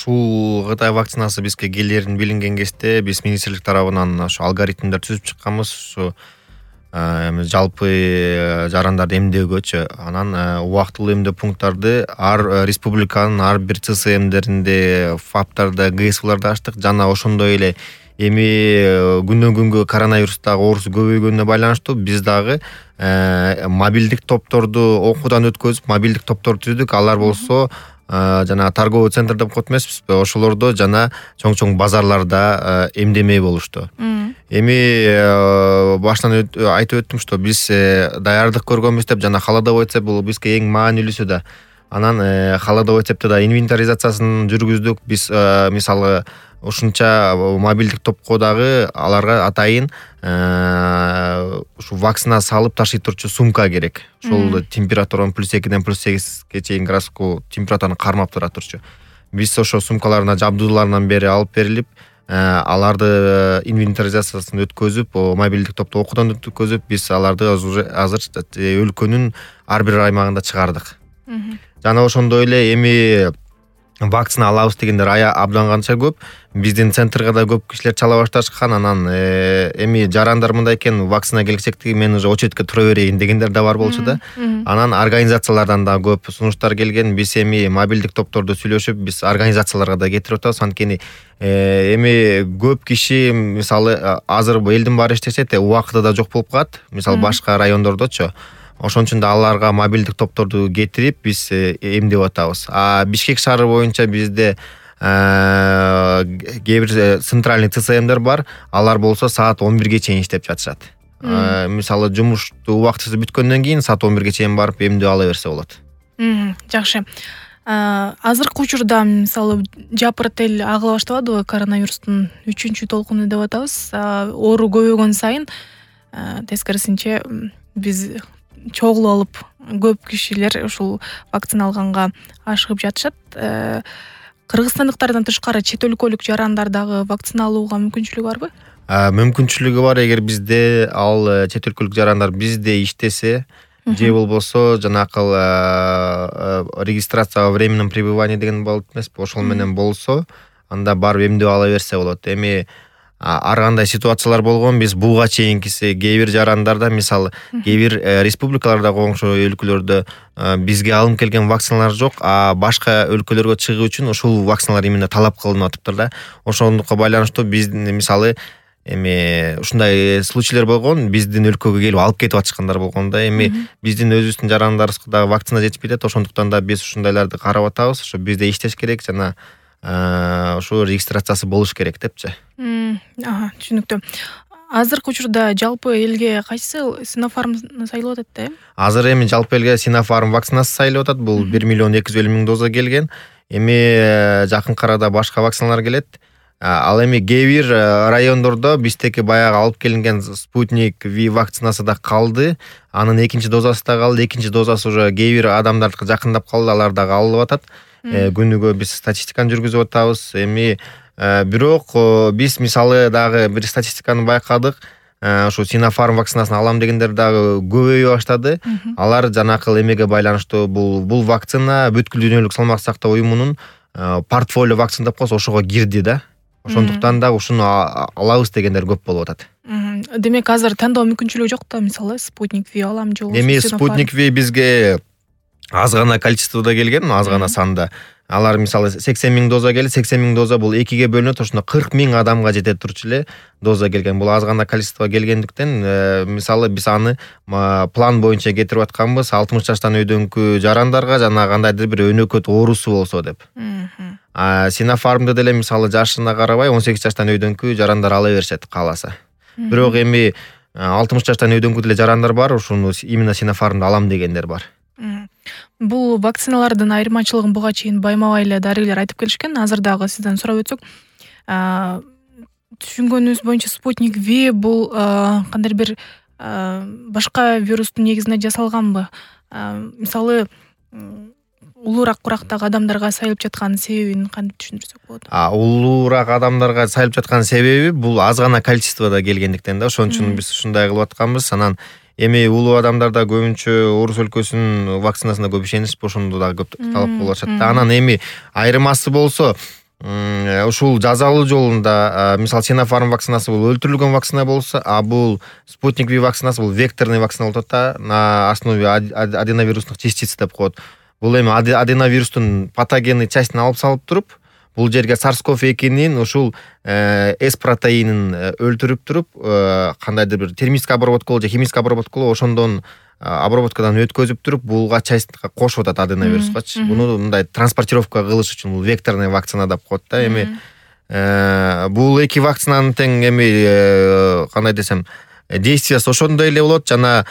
ушул Кытай вакцинасы бизге келерин билинген кезде биз министрлик тарабынан ошо алгоритмдер түзүп чыкканбыз. Ушу жалпы жарандарды эмдөөгөчү. Анан убактылуу эмдөө пункттарды ар республиканын ар бир ЦСМдеринде, ФАПтарда, ГСВларда ачтык. Жана ошондой эле эми күндөн күнгө коронавирустагы оорусу көбөйгөнүнө байланыштуу биз дагы мобилдик топторду окуудан өткөзүп, мобилдик топтор түздүк. Алар болсо жана торговый центр деп коет эмеспизби? Ошолордо жана чоң базарларда эмдемей болушту. Эми баштан айтып өттүм, что биз даярдык көргөнбүз деп, жана холодовой цепь бул бизге эң маанилүүсү да. Анан холодовой цепти да инвентаризациясын жүргүздүк. Биз мисалы ушунча мобилдик топко дагы аларга атайын ушу вакцина салып ташый турчу сумка керек. Ошол температуранын +2ден +8ге чейин градуску температураны кармап тура турчу. Биз ошо сумкаларына жабдууларынан бери алып берилип, аларды инвентаризациясын өткөзүп, мобилдик топто окуудан өткөзүп, биз аларды азыр өлкөнүн ар бир аймагында чыгардык. Жана ошондой эле эми вакцина алабыз дегендер абдан канча көп. Биздин центрга да көп кишилер чала башташкан. Анан эми жарандар мындай экен, вакцина келсектиги мен уже очередке тура берейин дегендер да бар болчу да. Анан организациялардан да көп сунуштар келген. Биз эми мобилдик топторду сүйлөшүп, биз организацияларга да кетирип атабыз. Анткени эми көп киши мисалы азыр элдин баары иштешет, убакыты да жок болуп калат. Мисалы башка райондордочу. Ошон үчүн да аларга мобилдик топторду кетирип, биз эмдеп атабыз. Бишкек шаары боюнча бизде кээ бир центральный ЦСМдер бар. Алар болсо саат 11ге чейин иштеп жатышат. Мисалы жумушту убактысы бүткөндөн кийин саат 11ге чейин барып эмдөө ала берсе болот. Жакшы. Азыркы учурда мисалы жапырт эл агыла баштабадыбы коронавирустун 3-чү толкуну деп атабыз. Оору көбөйгөн сайын тескерисинче биз чогулуп алып көп кишилер ушул вакцина алганга ашыгып жатышат. Кыргызстандыктардан тышкары чет өлкөлүк жарандар дагы вакцина алууга мүмкүнчүлүгү барбы? Мүмкүнчүлүгү бар. Эгер бизде ал чет өлкөлүк жарандар бизде иштесе, же болбосо жанакы регистрация во временном пребывании деген болот эмеспи? Ошол менен болсо, анда барып эмдөө ала берсе болот. Эми ар кандай ситуациялар болгон. Биз буга чейинкиси кээ бир жарандарда, мисалы кээ бир республикаларда, коңшу өлкөлөрдө бизге алынып келген вакциналар жок, а башка өлкөлөргө чыгуу үчүн ушул вакциналар именно талап кылынып атыптыр да. Ошондукка байланыштуу биздин мисалы эми ушундай случайлар болгон, биздин өлкөгө келип алып кетип атышкандар болгон да. Эми биздин өзүбүздүн жарандарыбызга дагы вакцина жетишпей атат. Ошондуктан да биз ушундайларды карап атабыз. Ошо бизде иштеш керек жана ошо регистрациясы болуш керек депчи. Түшүнүктүү. Азыркы учурда жалпы элге кайсы Sinopharm сайлап атат да? Азыр эми жалпы элге Sinopharm вакцинасы сайлап атат. Бул 1.250.000 доза келген. Эми жакынкы арада башка вакциналар келет. Ал эми кээ бир райондордо биздеки баягы алып келинген Sputnik V вакцинасы да калды. Анын экинчи дозасы да калды. Экинчи дозасы уже кээ бир адамдардыкы жакындап калды. Алар дагы алынып атат. Күнүгө биз статистиканы жүргүзүп атабыз. Эми бирок биз мисалы дагы бир статистиканы байкадык. Ушу Sinopharm вакцинасын алам дегендер дагы көбөйө баштады. Алар жанакы эмеге байланыштуу бул вакцина бүткүл дүйнөлүк салмак сактоо уюмунун портфолио вакцина деп коебуз, ошого кирди да. Ошондуктан да ушуну алабыз дегендер көп болуп атат. Демек азыр тандоо мүмкүнчүлүгү жок да, мисалы Sputnik V алам же болбосо. Эми Sputnik V бизге аз гана количестводо келген, аз гана санда. Алар мисалы 80.000 доза келди. 80.000 доза бул 2ге бөлүнөт. Ошондо 40.000 адамга жетет турчу эле доза келген. Бул аз гана количество келгендиктен, мисалы биз аны план боюнча кетирип атканбыз 60 жаштан өйдөнкү жарандарга жана кандайдыр бир өнөкөт оорусу болсо деп. Sinopharm'да деле мисалы жашына карабай 18 жаштан өйдөнкү жарандар ала беришет кааласа. Бирок эми 60 жаштан өйдөнкү деле жарандар бар, ушуну именно Sinopharm'да алам дегендер бар. Бул вакциналардын айырмачылыгын буга чейин байма-бай эле дарыгерлер айтып келишкен. Азыр дагы сизден сурап өтсөк, түшүнгөнүбүз боюнча Sputnik V бул кандай бир башка вирустун негизинде жасалганбы? Мисалы улуураак курактагы адамдарга сайылып жаткан себебин кантип түшүндүрсөк болот? Улуураак адамдарга сайылып жаткан себеби бул аз гана количестводо келгендиктен да. Ошон үчүн биз ушундай кылып атканбыз. Анан эми улуу адамдарда көбүнчө орус өлкөсүнүн вакцинасына көп ишенишип, ошондо дагы көп талап болуп атат. Анан эми айырмасы болсо, ушул жазалуу жолунда мисалы Sinopharm вакцинасы бул өлтүрүлгөн вакцина болсо, а бул Sputnik V вакцинасы бул векторный вакцина болуп атат да, на основе аденовирусных частиц деп коет. Бул эми аденовирустун патогенный частин алып салып туруп, бул жерге SARS-CoV-2-нин ушул S протеинин өлтүрүп туруп, кандайдыр бир термический обработкалоо же химический обработкалоо ошондон обработкадан өткөзүп туруп, булга частька кошуп атат аденовирускачы. Буну мындай транспортировка кылыш үчүн бул векторный вакцина деп коет да. Эми бул эки вакцинанын тең эми кандай десем, действиясы ошондой эле болот жана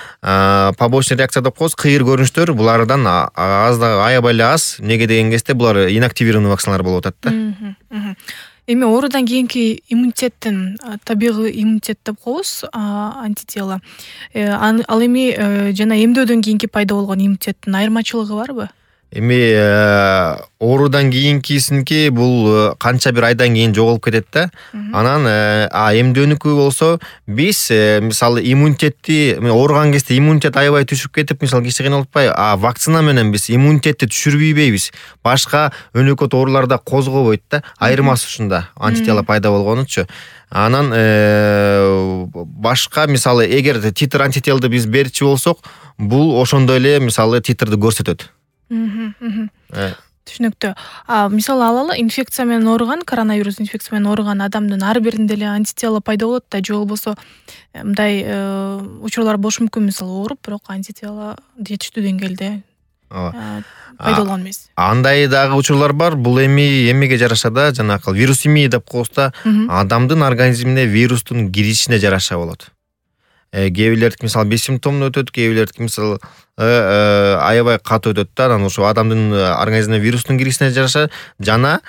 побочный реакция деп коебуз, кыйыр көрүнүштөр булардан аябай эле аз. Эмнеге деген кезде булар инактивированный вакциналар болуп атат да. Эми оорудан кийинки иммунитеттин, табигый иммунитет деп коебуз, антитела. Ал эми жана эмдөөдөн кийинки пайда болгон иммунитеттин айырмачылыгы барбы? Эми оорудан кийинкисинки бул канча бир айдан кийин жоголуп кетет да. Анан эмдөөнүкү болсо биз мисалы иммунитетти ооруган кезде иммунитет аябай түшүп кетип, мисалы киши кыйналып атпайбы? Вакцина менен биз иммунитетти түшүрбөйбүз. Башка өнөкөт ооруларда козгобойт да. Айырмасы ушунда, антитела пайда болгонучу. Анан башка мисалы эгер титр антителди биз берчү болсок, бул ошондой эле мисалы титрди көрсөтөт. Түшүнүктүү. Мисалы алалы, инфекция менен ооруган, коронавирус инфекция менен ооруган адамдын ар биринде эле антитела пайда болот да, же болбосо мындай учурлар болушу мүмкүн, мисалы ооруп, бирок антитела жетиштүү деңгээлде пайда болгон эмес. Андай дагы учурлар бар. Бул эмеге жараша да, жанакы вирусемия деп коебуз да, адамдын организмине вирустун киришине жараша болот. Кээ бирлердики мисалы бессимптомдуу өтөт, кээ бирлердики мисалы аябай катуу өтөт да. Анан ошо адамдын организмине вирустун киришине жараша жана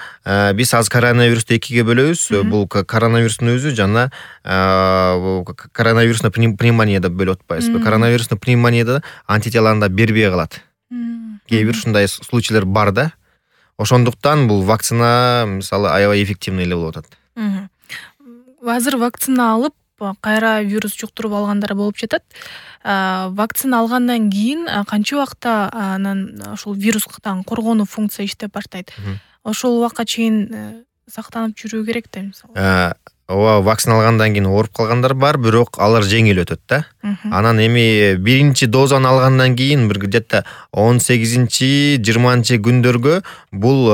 биз азыр коронавирусту экиге бөлөбүз. Бул коронавирустун өзү жана коронавирусный пневмония деп бөлүп атпайбызбы? Коронавирусный пневмонияда антителаны да бербей калат. Кээ бир ушундай случайлар бар да. Ошондуктан бул вакцина мисалы аябай эффективный эле болуп атат. Азыр вакцина алып кайра вирус жуктуруп алгандар болуп жатат. Вакцина алгандан кийин канча убакта анан ошол вирустан коргонуу функция иштеп баштайт? Ошол убакка чейин сактанып жүрүү керек да, мисалы. Ооба, вакцина алгандан кийин ооруп калгандар бар, бирок алар жеңил өтөт да. Анан эми биринчи дозаны алгандан кийин бир где-то 18-20 күндөргө бул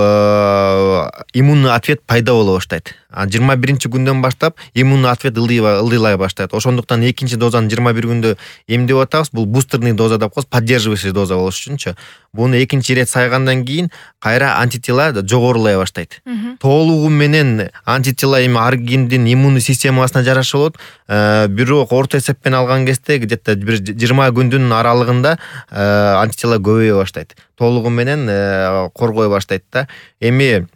иммунный ответ пайда боло баштайт. 21 күндөн баштап иммунный ответ ылдыйлай баштайт. Ошондуктан экинчи дозаны 21 күндө эмдеп атабыз. Бул бустерный доза деп коебуз, поддерживающий доза болуш үчүнчү. Буну экинчи ирет сайгандан кийин кайра антитела жогорулай баштайт. Толугу менен антитела эми ар кимдин иммунный системасына жараша болот. Бирок орто эсеппен алган кезде где-то бир 20 күндүн аралыгында антитела көбөйө баштайт. Толугу менен коргой баштайт да. Эми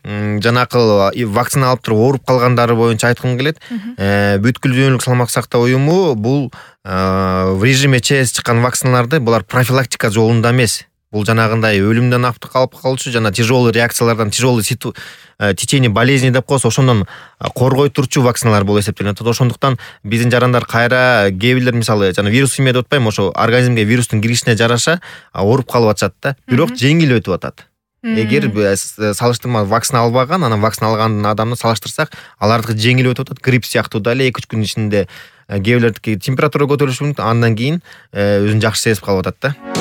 жанакы вакцина алып туруп ооруп калгандары боюнча айткым келет. Бүткүл дүйнөлүк саламаттык сактоо уюму бул в режиме ЧС чыккан вакциналарды булар профилактика жолунда эмес. Бул жанагындай өлүмдөн алып калуучу жана тяжелый реакциялардан, тяжелый течение болезни деп коебуз, ошондон коргой турчу вакциналар болуп эсептелет. Ошондуктан биздин жарандар кайра кээ бирлер мисалы жана вирусемия деп атпайбы, ошо организмге вирустун киришине жараша ооруп калып атышат да. Бирок жеңил өтүп атат. Эгер салыштырма вакцина албаган, анан вакцина алган адамды салыштырсак, алардыкы жеңил өтүп атат. Грипп сыяктуу дале 2-3 күн ичинде кээ бирлердики температура көтөрүлүшү мүмкүн, андан кийин өзүн жакшы сезип калып атат да.